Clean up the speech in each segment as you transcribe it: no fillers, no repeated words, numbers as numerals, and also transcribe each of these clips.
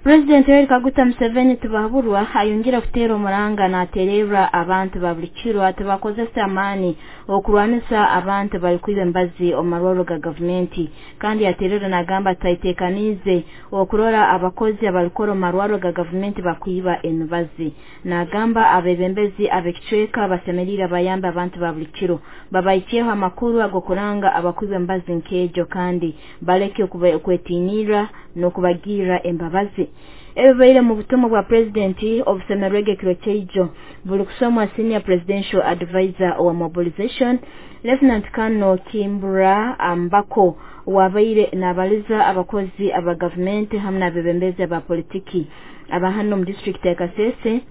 President Yoweri Kaguta Museveni tibahaburwa ayongera kuteera omuranga naatererra abantu ba buli kiro ati bakozesa amaani okurwanisa abantu barikwiba embazi omu marwariro ga gavumenti. Kandi yatererra nagamba ati aiteekaniize okurora abakozi abarikukora omu marwariro ga gavumenti bakwiba emibazi. Nagamba abeebembezi ab'ekicweka basemeriire bayambe abantu ba buli kiro, babahikyeho amakuru ag'okuranga abakwiba embazi nk'egyo kandi baleke okwetiinirra n'okubagirra embabazi. Ebibaire mu butumwa bwa pulezidenti obusemerwege ekiro kyaijo buli kusomwa Senior Presidential Advisor owa Mobilization Lieutenant Colonel Kimbura Ambako, wabaire nabaliza abakozi aba gavumenti hamwe n'abebembezi aba politiki abahano mu district ya Kasese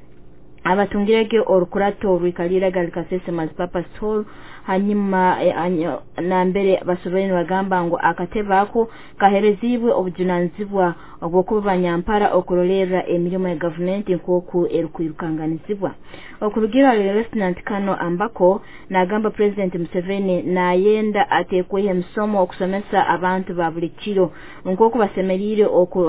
abatungirege orukurato rwikaliraga ali Kasese Multipurpose Hall. Hanyuma nambere basoboire nibagamba ngu akatebe ako kahereziibwe obujunanizibwa obw'okuba banyampara okurolerra emirimo ya gavumenti nk'oku erukwirukanganizibwa. Okurugira Lieutenant Colonel Ambako nagamba President Museveni nayenda ateekweho emisomo okusomesa abantu ba buli kiro nk'oku basemeriire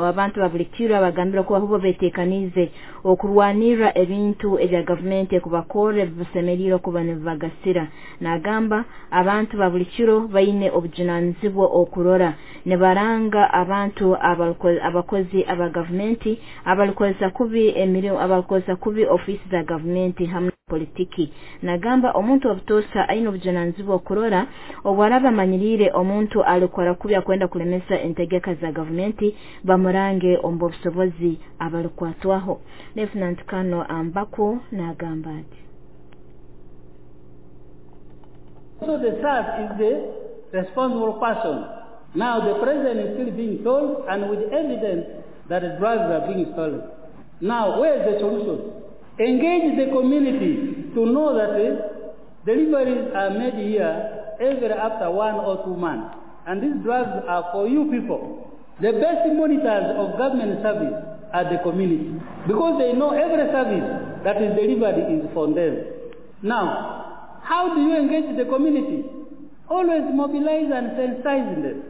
abantu ba buli kiro abagambira kuba bo beteekaniize okurwanirra ebintu ebya gavumenti ekubakorra ebibasemeriire okuba nibibagasira. Nagamba abantu ba buli kiro baine obujunanizibwa okurora nibaranga abantu abakozi aba gavumenti abalikozesa kubi emirimu, abakozesa kubi ofiisi za gavumenti hamwe politiki. Nagamba omuntu obutosa aine obujunanizibwa okurora obwaraba amanyiriire omuntu alikora kubi akwenda kulemesa entegeka za gavumenti bamurange omu busobozi abalikwatwaho. Lieutenant Colonel Ambako nagamba ati So the SAF is the responsible person. Now the president is still being told, and with evidence that the drugs are being stolen. Now, where is the solution? Engage the community to know that the deliveries are made here every after 1 or 2 months. And these drugs are for you people. The best monitors of government service are the community, because they know every service that is delivered is for them. Now, how do you engage the community? Always mobilize and sensitize them.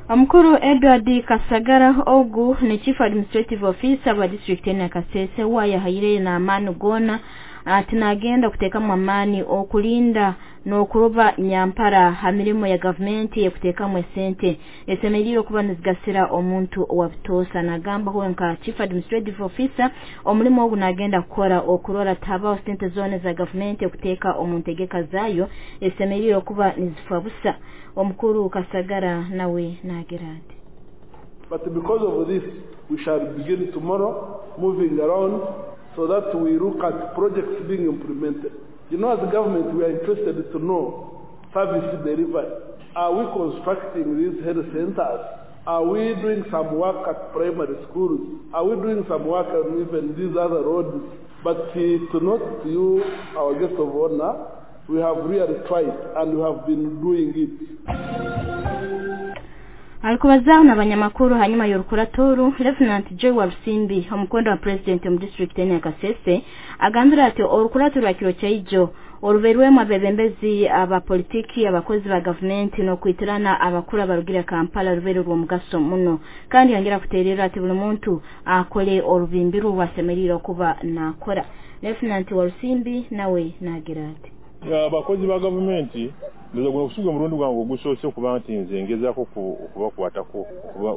Omukuru Edward Kasagara ogu ni Chief Administrative Officer wa district ya Kasese wayahaire n'amaani goona ati nagenda kuteekamu amaani okulinda n'okuroba nyampara ha mirimo ya gavumenti ekuteekamu esente esemeriire okuba nizigasira omuntu owa butoosa. Nagamba ho nka Chief Administrative Officer omulimo ogu nagenda kukora okurora tabaho sente zoona za gavumenti ekuteeka omu ntegeka zaayo esemeriire okuba nizifa busa. Omukuru Kasagara nawe nagira ati But because of this, we shall begin tomorrow moving around so that we look at projects being implemented. You know, as a government, we are interested to know service delivery. Are we constructing these health centers? Are we doing some work at primary schools? Are we doing some work on even these other roads? But to note to you, our guest of honor, we have really tried and we have been doing it. Alikubazaho n'abanyamakuru hanyuma y'orukuratoru Lieutenant Joy Walusimbi omukondo wa president mu district ya Kasese agambira ati orukurato rwa kiro kyaijo oruberwemu abebembezi abapolitiki abakozi ba gavumenti n'okwitirana abakuru abarugira Kampala rubere rw'omugaso muno. Kandi yongera kuterera ati buli muntu akole orubimbiru rwasemeriire okuba nakora. Lieutenant Walusimbi nawe nagira ati abakozi ba gavumenti ndoza guno kusuga omurundi gwange ogusoose okuba nti nze ngezaako okubakwatako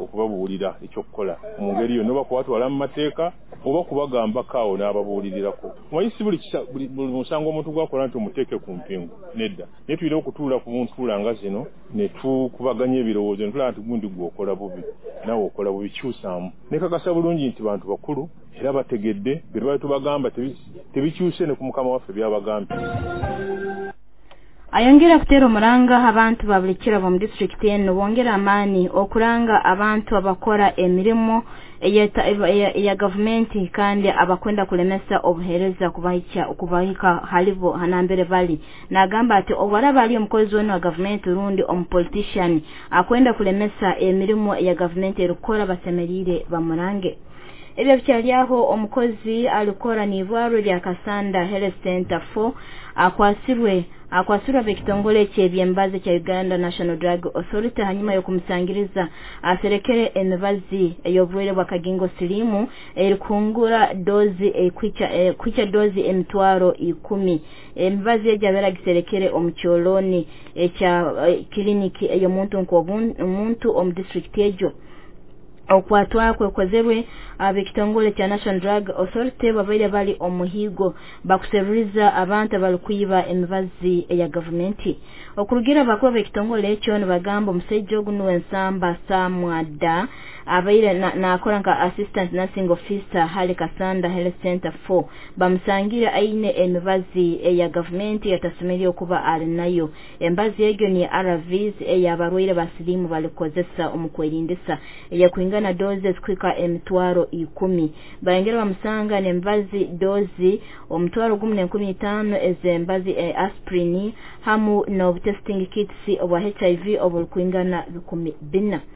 okubabuulira ekyokukola mu ngeri yonna oba kubatwala mu mateeka oba kubagambako awo n'ababuulirirako. Omanyi si buli musango omuntu gwakola nti omuteeke ku mpingu, nedda, naye tulina okutuula ku ntuula nga zino ne tukubaganya ebirowoozo ne tulaba nti gundi gwe okola bubi naawe okola bubi, kyusaamu. Nekakasa bulungi nti bantu bakulu era bategedde bye twali tubagamba tebikyuse ne ku mukama waffe byabagambye. Ayongera kuteera omuranga abantu ba buli kiro mu district eno bongera amaani okuranga abantu abakora emirimu eya gavumenti kandi abakwenda kulemesa obuheereza kubahika halibo hanambere bali. Nagamba ati obwaraba ali omukozi wenu wa gavumenti rundi omupolitician akwenda kulemesa emirimu ya gavumenti erikukora basemeriire bamurange. Ebyo bikyali aho omukozi alikora n'irwaro lya Kasanda Health Center 4 akwasirwe ab'ekitongole ky'ebyembazi kya Uganda National Drug Authority hanyuma y'okumusangiriza aserekere emibazi ey'obulwaire bwa kagingo silimu erikungura dozi ekwica dozi 100,000. Emibazi egyo abeera agiserekere omu kyoloni ekya kiliniki ey'omuntu nk'omuntu omu district egyo. Okwatwa kwekozerwe ab'ekitongole kya National Drug Authority babaire bali omuhigo bakuseruriza abantu abarikwiba emibazi eya gavumenti. Okurugira abakuba b'ekitongole ekyo nibagamba omusaija ogu nuwe Nsamba Samwada abaire nakora nka assistant nursing officer hali Kasanda Health Center 4, bamusangire aine emibazi eya gavumenti yatasemereire okuba ali nayo. Embazi egyo ni ARVs ey'abarwaire ba siriimu balikozesa omu kwerindisa, eyakwingana dozi ezikuhika 100,000. Bayongera bamusanga n'emibazi dozi 1,015 ez'embazi aspirin hamu n'obutesting kits obwa HIV oburukwingana 4,000.